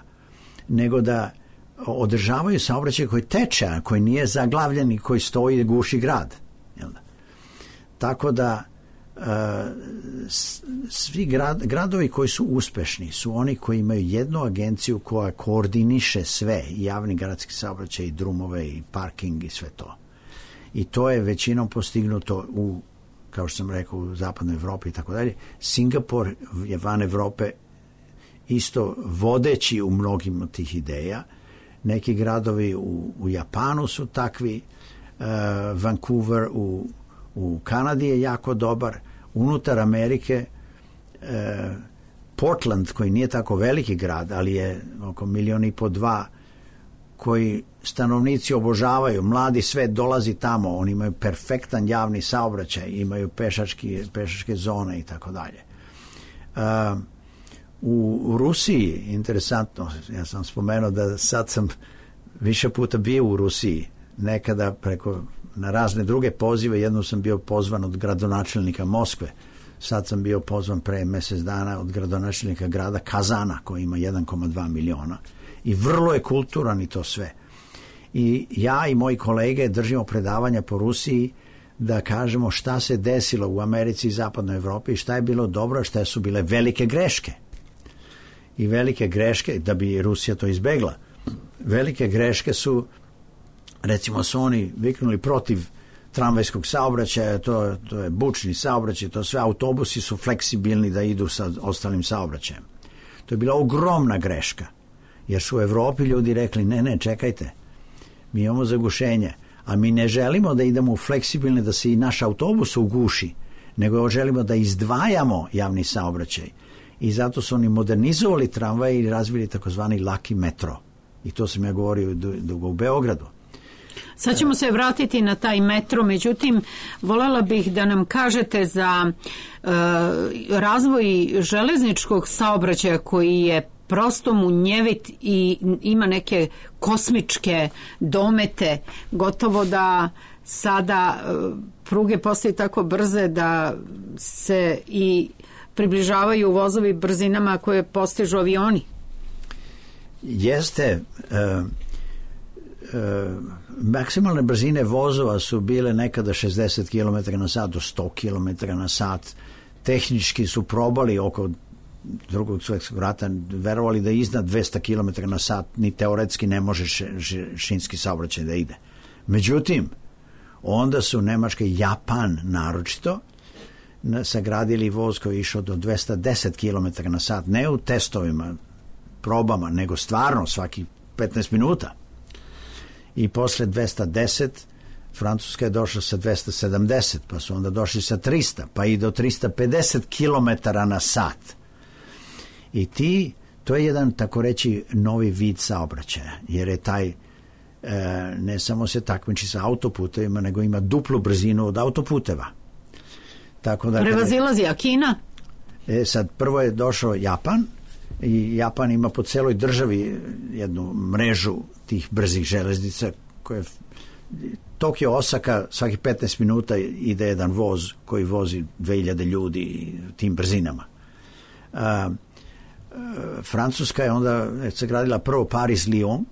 nego da održavaju saobraćaj koji teče, koji nije zaglavljen i koji stoji i guši grad. Tako da svi gradovi koji su uspešni su oni koji imaju jednu agenciju koja koordiniše sve, javni gradski saobraćaj, i drumove, i parking i sve to. I to je većinom postignuto u, kao što sam rekao, u zapadnoj Evropi i tako dalje. Singapur je van Evrope isto vodeći u mnogim od tih ideja. Neki gradovi u Japanu su takvi, Vancouver u Kanadi je jako dobar, unutar Amerike Portland, koji nije tako veliki grad, ali je oko 1,5 miliona, 2, koji stanovnici obožavaju, mladi svet dolazi tamo, oni imaju perfektan javni saobraćaj, imaju pešačke zone i tako dalje. U Rusiji, interesantno, ja sam spomenuo da sad sam više puta bio u Rusiji, nekada na razne druge pozive, jednom sam bio pozvan od gradonačelnika Moskve, sad sam bio pozvan pre mjesec dana od gradonačelnika grada Kazana, koji ima 1,2 miliona i vrlo je kulturan i to sve. I ja i moji kolege držimo predavanja po Rusiji da kažemo šta se desilo u Americi i zapadnoj Evropi i šta je bilo dobro, šta su bile velike greške. I velike greške, da bi Rusija to izbegla, velike greške su, recimo, su oni viknuli protiv tramvajskog saobraćaja, to je bučni saobraćaj, to sve, autobusi su fleksibilni da idu sa ostalim saobraćajem. To je bila ogromna greška, jer su u Evropi ljudi rekli, ne, čekajte, mi imamo zagušenje, a mi ne želimo da idemo u fleksibilne, da se i naš autobus uguši, nego želimo da izdvajamo javni saobraćaj. I zato su oni modernizovali tramvaje i razvili takozvani laki metro. I to sam ja govorio dugo u Beogradu. Sad ćemo se vratiti na taj metro, međutim, voljela bih da nam kažete za razvoj železničkog saobraćaja koji je prosto munjevit i ima neke kosmičke domete, gotovo da sada pruge postaju tako brze da se i približavaju vozovi brzinama koje postižu avioni. Jeste, maksimalne brzine vozova su bile nekada 60 km na sat do 100 km na sat. Tehnički su probali oko Drugog svjetskog rata, verovali da iznad 200 km na sat ni teoretski ne može šinski saobraćaj da ide. Međutim, onda su Nemačka i Japan naročito sagradili voz koji je išao do 210 km na sat, ne u testovima, probama, nego stvarno svaki 15 minuta. I posle 210 Francuska je došla sa 270, pa su onda došli sa 300, pa i do 350 km na sat. I to je jedan, tako reći, novi vid saobraćaja, jer je taj ne samo se takmiči sa autoputevima, nego ima duplu brzinu od autoputeva. Tako da prevazilazi, a Kina? Sad prvo je došao Japan i Japan ima po celoj državi jednu mrežu tih brzih železnica koje Tokio, Osaka, svaki 15 minuta ide jedan voz koji vozi 2000 ljudi tim brzinama. Francuska je onda sagradila prvo Paris-Lyon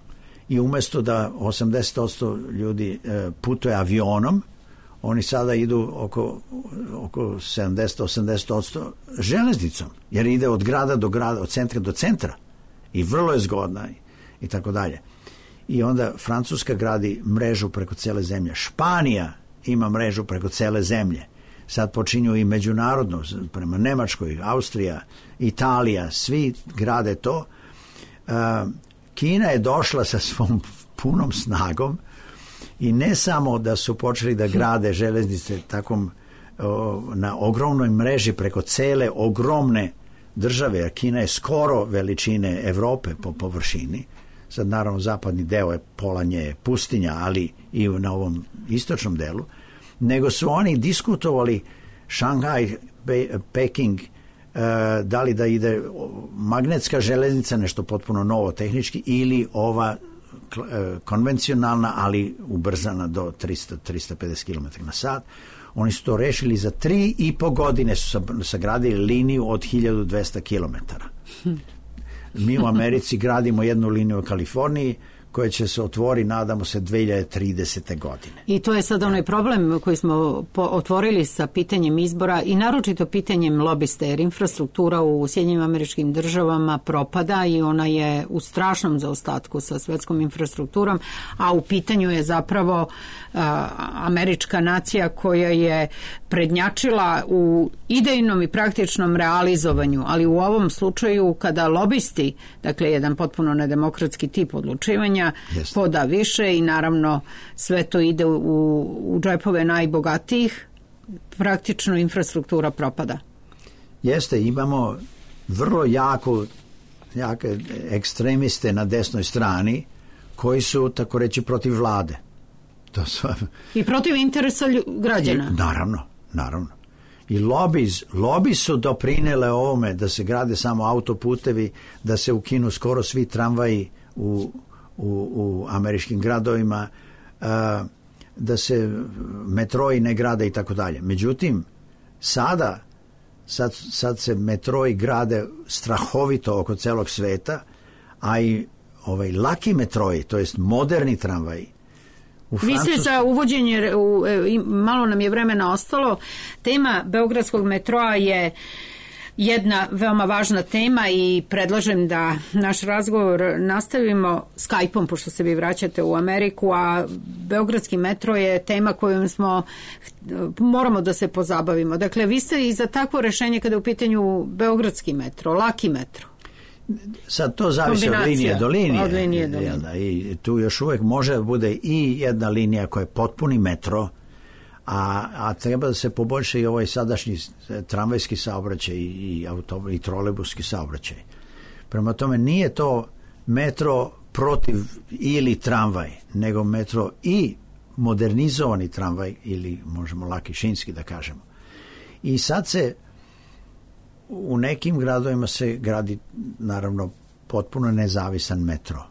i umjesto da 80% ljudi putuje avionom, oni sada idu oko 70-80% železnicom, jer ide od grada do grada, od centra do centra i vrlo je zgodna i tako dalje. I onda Francuska gradi mrežu preko cele zemlje. Španija ima mrežu preko cele zemlje. Sad počinju i međunarodno, prema Nemačkoj, Austrija, Italija, svi grade to. Kina je došla sa svom punom snagom i ne samo da su počeli da grade železnice takom na ogromnoj mreži preko cele ogromne države, jer Kina je skoro veličine Evrope po površini. Sad naravno zapadni deo je pola nje pustinja, ali i na ovom istočnom delu, nego su oni diskutovali Šanghaj, Peking, da li da ide magnetska železnica, nešto potpuno novo tehnički, ili ova konvencionalna, ali ubrzana do 300-350 km na sat. Oni su to rešili za 3,5 godine, su sagradili liniju od 1200 km. Mi u Americi gradimo jednu liniju u Kaliforniji koja će se otvori, nadamo se, 2030. godine. I to je sad onaj problem koji smo otvorili sa pitanjem izbora i naročito pitanjem lobiste, jer infrastruktura u Sjedinjenim Američkim Državama propada i ona je u strašnom zaostatku sa svetskom infrastrukturom, a u pitanju je zapravo američka nacija koja je prednjačila u idejnom i praktičnom realizovanju, ali u ovom slučaju kada lobisti, dakle jedan potpuno nedemokratski tip odlučivanja, poda više i naravno sve to ide u džepove najbogatijih, praktično infrastruktura propada. Jeste, imamo vrlo jake ekstremiste na desnoj strani koji su, tako reći, protiv vlade. I protiv interesa građana. Naravno. I lobi su doprinele ovome da se grade samo autoputevi, da se ukinu skoro svi tramvaji u američkim gradovima, da se metroji ne grade i tako dalje. Međutim, sad se metroji grade strahovito oko celog sveta, a i laki metroji, to jest moderni tramvaji. Vi ste za uvođenje, malo nam je vremena ostalo, tema Beogradskog metroa je jedna veoma važna tema i predlažem da naš razgovor nastavimo Skype-om, pošto se vi vraćate u Ameriku, a Beogradski metro je tema kojom moramo da se pozabavimo. Dakle, vi ste i za takvo rešenje kada je u pitanju Beogradski metro, laki metro. Sad to zavisi od linije do linije. I tu još uvijek može da bude i jedna linija koja je potpuni metro, a treba da se poboljša i ovaj sadašnji tramvajski saobraćaj i trolejbuski saobraćaj. Prema tome nije to metro protiv ili tramvaj, nego metro i modernizovani tramvaj, ili možemo laki šinski da kažemo. I sad se u nekim gradovima se gradi naravno potpuno nezavisan metro,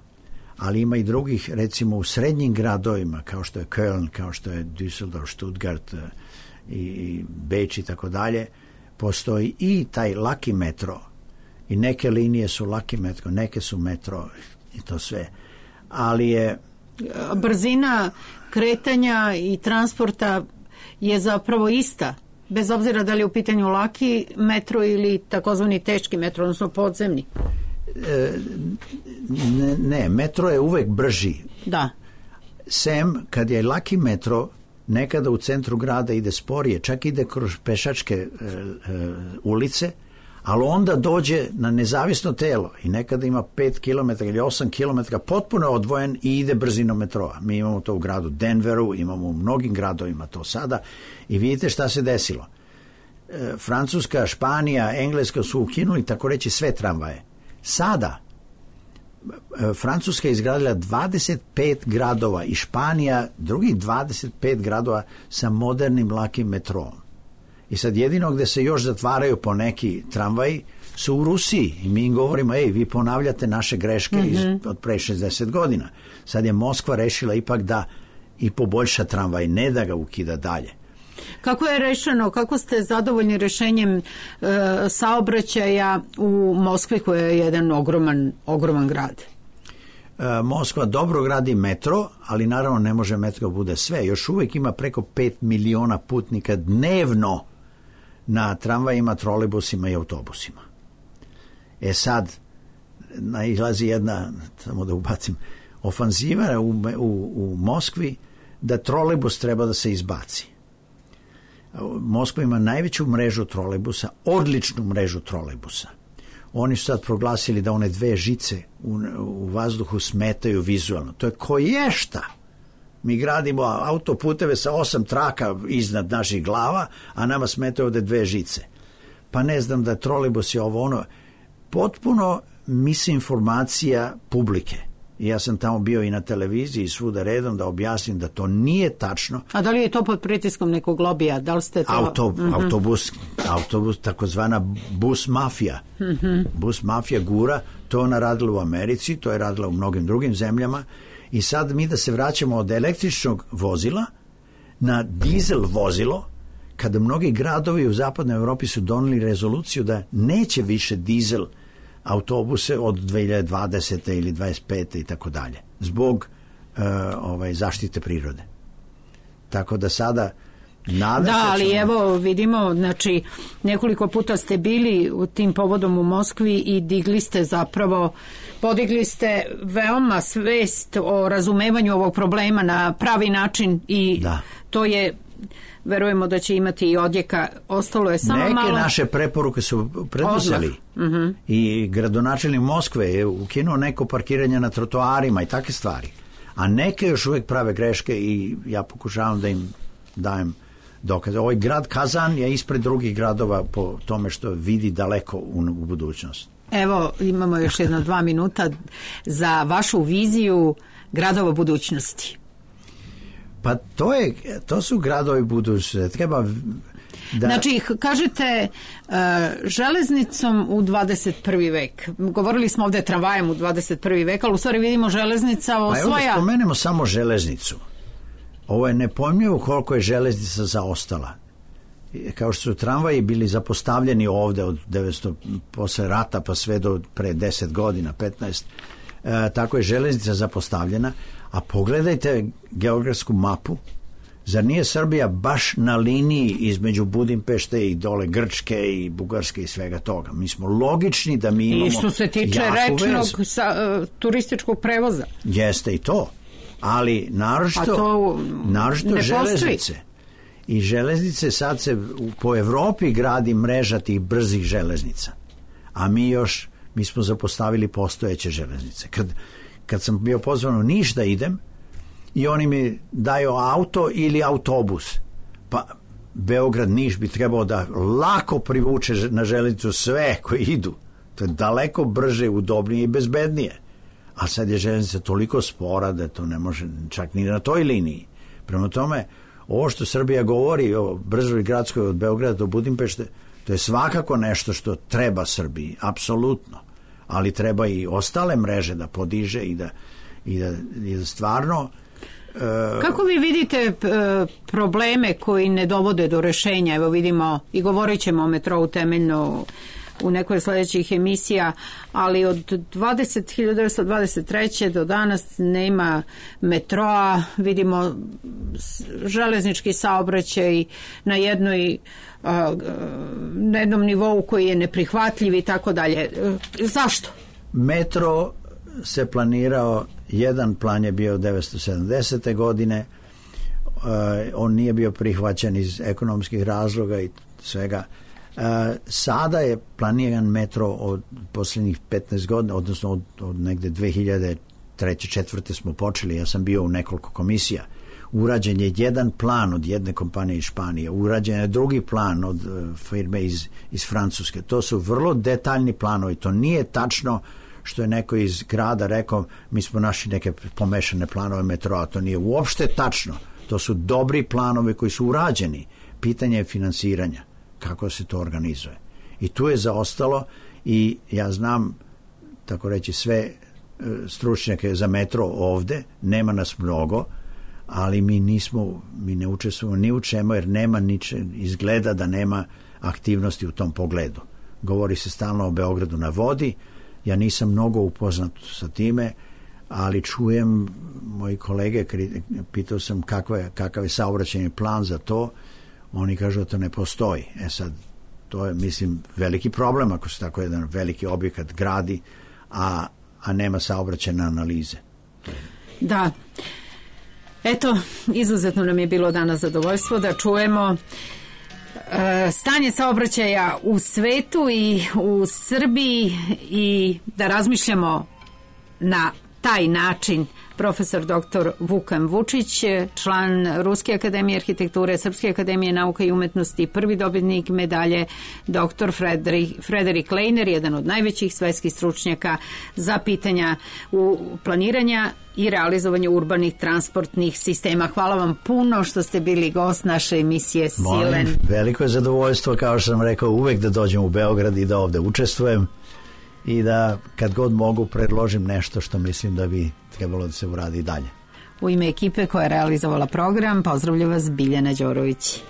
ali ima i drugih, recimo u srednjim gradovima kao što je Köln, kao što je Düsseldorf, Stuttgart i Beč i tako dalje, postoji i taj laki metro i neke linije su laki metro, neke su metro i to sve, ali je brzina kretanja i transporta je zapravo ista, bez obzira da li je u pitanju laki metro ili takozvani teški metro, odnosno podzemni. Ne, metro je uvek brži. Da. Sem kad je laki metro, nekada u centru grada ide sporije, čak ide kroz pešačke ulice, ali onda dođe na nezavisno telo i nekada ima 5 km ili 8 km potpuno odvojen i ide brzinom metroa. Mi imamo to u gradu Denveru, imamo u mnogim gradovima to sada i vidite šta se desilo. Francuska, Španija, Engleska su ukinuli tako reći sve tramvaje. Sada Francuska je izgradila 25 gradova i Španija drugih 25 gradova sa modernim lakim metroom. I sad jedino gde se još zatvaraju po neki tramvaji su u Rusiji i mi im govorimo, vi ponavljate naše greške od pre 60 godina. Sad je Moskva rešila ipak da i poboljša tramvaj, ne da ga ukida dalje. Kako je rešeno, kako ste zadovoljni rešenjem saobraćaja u Moskvi koja je jedan ogroman grad? Moskva dobro gradi metro, ali naravno ne može metro bude sve. Još uvijek ima preko 5 miliona putnika dnevno na tramvajima, trolejbusima i autobusima. Sad nailazi jedna, samo da ubacim, ofanziva u Moskvi da trolejbus treba da se izbaci. Moskva ima najveću mrežu trolejbusa, odličnu mrežu trolejbusa. Oni su sad proglasili da one 2 žice u vazduhu smetaju vizualno. To je koješta. Mi gradimo autoputeve sa 8 traka iznad naših glava, a nama smetaju ovde 2 žice. Pa ne znam da trolejbus je ovo ono. Potpuno misinformacija publike. I ja sam tamo bio i na televiziji i svuda redom da objasnim da to nije tačno. A da li je to pod pritiskom nekog lobija? Da li ste to... Autobus, takozvana bus mafija. Bus mafija gura, to ona radila u Americi, to je radila u mnogim drugim zemljama i sad mi da se vraćamo od električnog vozila na dizel vozilo, kada mnogi gradovi u zapadnoj Evropi su doneli rezoluciju da neće više dizel autobuse od 2020. ili 25. i tako dalje, zbog zaštite prirode. Tako da sada ali evo vidimo, znači nekoliko puta ste bili u tim povodom u Moskvi i podigli ste veoma svest o razumevanju ovog problema na pravi način i to je, verujemo da će imati i odjeka. Ostalo je samo neke naše preporuke su preduzeli i gradonačelnik Moskve je ukinuo neko parkiranje na trotoarima i takve stvari, a neke još uvijek prave greške i ja pokušavam da im dajem dokaze. Ovaj grad Kazan je ispred drugih gradova po tome što vidi daleko u budućnost. Evo, imamo još 2 minuta za vašu viziju gradova budućnosti. Pa to su gradovi budućnosti. Treba da... Znači, kažete železnicom u 21. vek. Govorili smo ovdje tramvajem u 21. vek, ali u stvari vidimo železnica osvaja... Pa evo da spomenemo samo železnicu. Ovo je nepojmljivo koliko je železnica zaostala. Kao što su tramvaji bili zapostavljeni ovdje od 900 posle rata pa sve do pre 10 godina, 15, tako je železnica zapostavljena. A pogledajte geografsku mapu. Zar nije Srbija baš na liniji između Budimpešte i dole Grčke i Bugarske i svega toga? Mi smo logični da mi imamo... I što se tiče rečnog turističkog prevoza. Jeste i to. Ali naročito železnice. I železnice sad se po Evropi gradi mreža tih brzih železnica. A mi smo zapostavili postojeće železnice. Kad sam bio pozvan u Niš da idem i oni mi daju auto ili autobus, pa Beograd-Niš bi trebao da lako privuče na železnicu sve koji idu. To je daleko brže, udobnije i bezbednije. A sad je železnica toliko spora da to ne može čak ni na toj liniji. Prema tome, ovo što Srbija govori o brzoj gradskoj od Beograda do Budimpešte, to je svakako nešto što treba Srbiji, apsolutno. Ali treba i ostale mreže da podiže i da stvarno... Kako vi vidite probleme koji ne dovode do rešenja? Evo vidimo i govorit ćemo o metrou temeljno u nekoj sljedećih emisija, ali od 1923. do danas nema metroa, vidimo železnički saobraćaj na jednom nivou koji je neprihvatljiv i tako dalje. Zašto? Metro se planirao, jedan plan je bio 1970. godine, on nije bio prihvaćen iz ekonomskih razloga i svega. Sada je planiran metro od posljednjih 15 godina, odnosno od negde 2003. 2004. smo počeli, ja sam bio u nekoliko komisija. Urađen je jedan plan od jedne kompanije iz Španije, urađen je drugi plan od firme iz Francuske. To su vrlo detaljni planovi, to nije tačno što je neko iz grada rekao mi smo našli neke pomešane planove metroa, to nije uopšte tačno. To su dobri planovi koji su urađeni. Pitanje je finansiranja, kako se to organizuje. I tu je zaostalo i ja znam, tako reći, sve stručnjake za metro ovde, nema nas mnogo, ali mi ne učestvujemo ni u čemu jer nema izgleda da nema aktivnosti u tom pogledu. Govori se stalno o Beogradu na vodi, ja nisam mnogo upoznat sa time, ali čujem moji kolege, pitao sam kakav je saobraćajni plan za to, oni kažu da to ne postoji. Sad, to je, mislim, veliki problem ako se tako jedan veliki objekat gradi, a nema saobraćajne analize. Da. Eto, izuzetno nam je bilo danas zadovoljstvo da čujemo stanje saobraćaja u svetu i u Srbiji i da razmišljamo na taj način profesor dr. Vukan Vučić, član Ruske akademije arhitekture, Srpske akademije nauka i umetnosti, prvi dobitnik medalje dr. Frederik Lejner, jedan od najvećih svetskih stručnjaka za pitanja planiranja i realizovanje urbanih transportnih sistema. Hvala vam puno što ste bili gost naše emisije Silen. Veliko je zadovoljstvo, kao što sam rekao, uvek da dođem u Beograd i da ovde učestvujem i da kad god mogu predložim nešto što mislim da bi trebalo da se uradi dalje. U ime ekipe koja je realizovala program, pozdravlja vas Biljana Đorović.